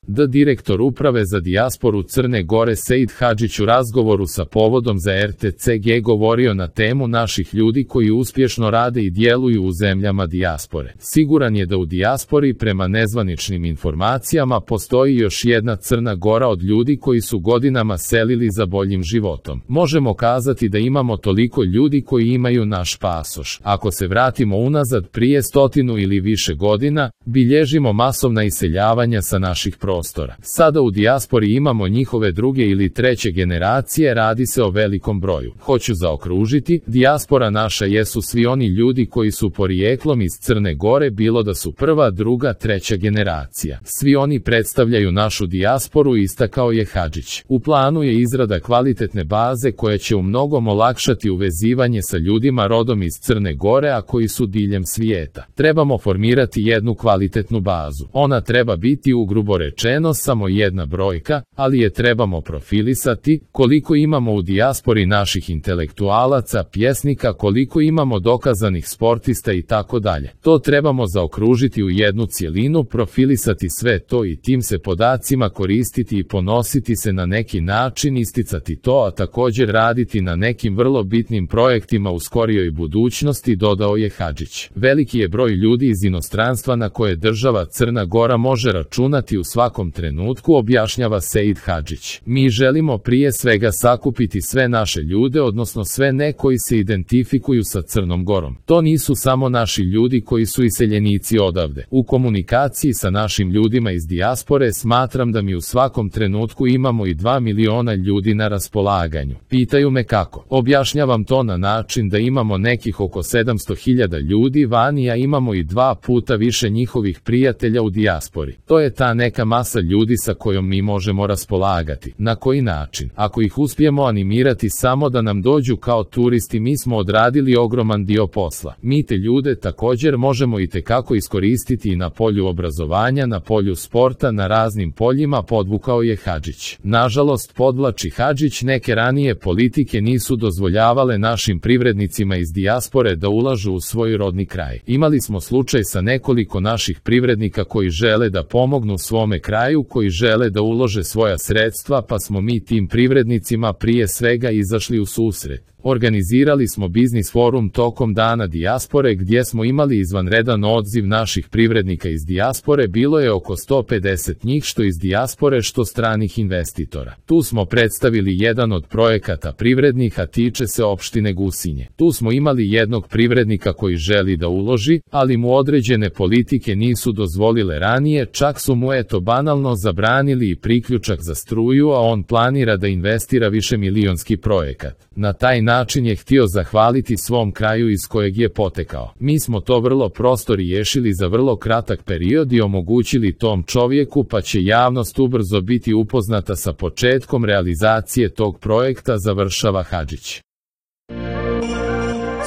Direktor uprave za dijasporu Crne Gore Seid Hadžić u razgovoru sa Povodom za RTCG govorio na temu naših ljudi koji uspješno rade i djeluju u zemljama dijaspore. Siguran je da u dijaspori prema nezvaničnim informacijama postoji još jedna Crna Gora od ljudi koji su godinama selili za boljim životom. Možemo kazati da imamo toliko ljudi koji imaju naš pasoš. Ako se vratimo unazad prije 100 ili više godina, bilježimo masovna iseljavanja sa naših prostora. Sada u dijaspori imamo njihove druge ili treće generacije, radi se o velikom broju. Hoću zaokružiti, dijaspora naša jesu svi oni ljudi koji su porijeklom iz Crne Gore, bilo da su prva, druga, treća generacija. Svi oni predstavljaju našu dijasporu, istakao je Hadžić. U planu je izrada kvalitetne baze koja će u mnogom olakšati uvezivanje sa ljudima rodom iz Crne Gore, a koji su diljem svijeta. Trebamo formirati jednu kvalitetnu bazu. Ona treba biti ugrubo rečeno samo jedna brojka, ali je trebamo profilisati, koliko imamo u dijaspori naših intelektualaca, pjesnika, koliko imamo dokazanih sportista i tako dalje. To trebamo zaokružiti u jednu cjelinu, profilisati sve to i tim se podacima koristiti i ponositi se na neki način, isticati to, a također raditi na nekim vrlo bitnim projektima u skorijoj budućnosti, dodao je Hadžić. Veliki je broj ljudi iz inostranstva na koje država Crna Gora može računati u svakom trenutku, objašnjava Seid Hadžić. Mi želimo prije svega sakupiti sve naše ljude, odnosno sve ne koji se identifikuju sa Crnom Gorom. To nisu samo naši ljudi koji su iseljenici odavde. U komunikaciji sa našim ljudima iz dijaspore smatram da mi u svakom trenutku imamo i 2 miliona ljudi na raspolaganju. Pitaju me kako. Objašnjavam to na način da imamo nekih oko 700.000 ljudi vani, a imamo i 2 puta više njihovih prijatelja u dijaspori. To je ta neka masa ljudi sa kojom mi možemo raspolagati. Na koji način? Ako ih uspijemo animirati samo da nam dođu kao turisti, mi smo odradili ogroman dio posla. Mi te ljude također možemo itekako iskoristiti i na polju obrazovanja, na polju sporta, na raznim poljima, podvukao je Hadžić. Nažalost, podvlači Hadžić, neke ranije politike nisu dozvoljavale našim privrednicima iz dijaspore da ulažu u svoj rodni kraj. Imali smo slučaj sa nekoliko naših privrednika koji žele da pomognu svome kraju, koji žele da ulože svoja sredstva, pa smo mi tim privrednicima prije svega izašli u susret. Organizirali smo biznis forum tokom dana dijaspore gdje smo imali izvanredan odziv naših privrednika iz dijaspore, bilo je oko 150 njih što iz dijaspore što stranih investitora. Tu smo predstavili jedan od projekata privrednih, a tiče se opštine Gusinje. Tu smo imali jednog privrednika koji želi da uloži, ali mu određene politike nisu dozvolile ranije, čak su mu banalno zabranili i priključak za struju, a on planira da investira višemilionski projekat. Na taj način je htio zahvaliti svom kraju iz kojeg je potekao. Mi smo to vrlo prosto riješili za vrlo kratak period i omogućili tom čovjeku, pa će javnost ubrzo biti upoznata sa početkom realizacije tog projekta, završava Hadžić.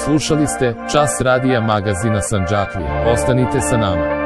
Slušali ste Čas radija magazina Sandžaklija. Ostanite sa nama.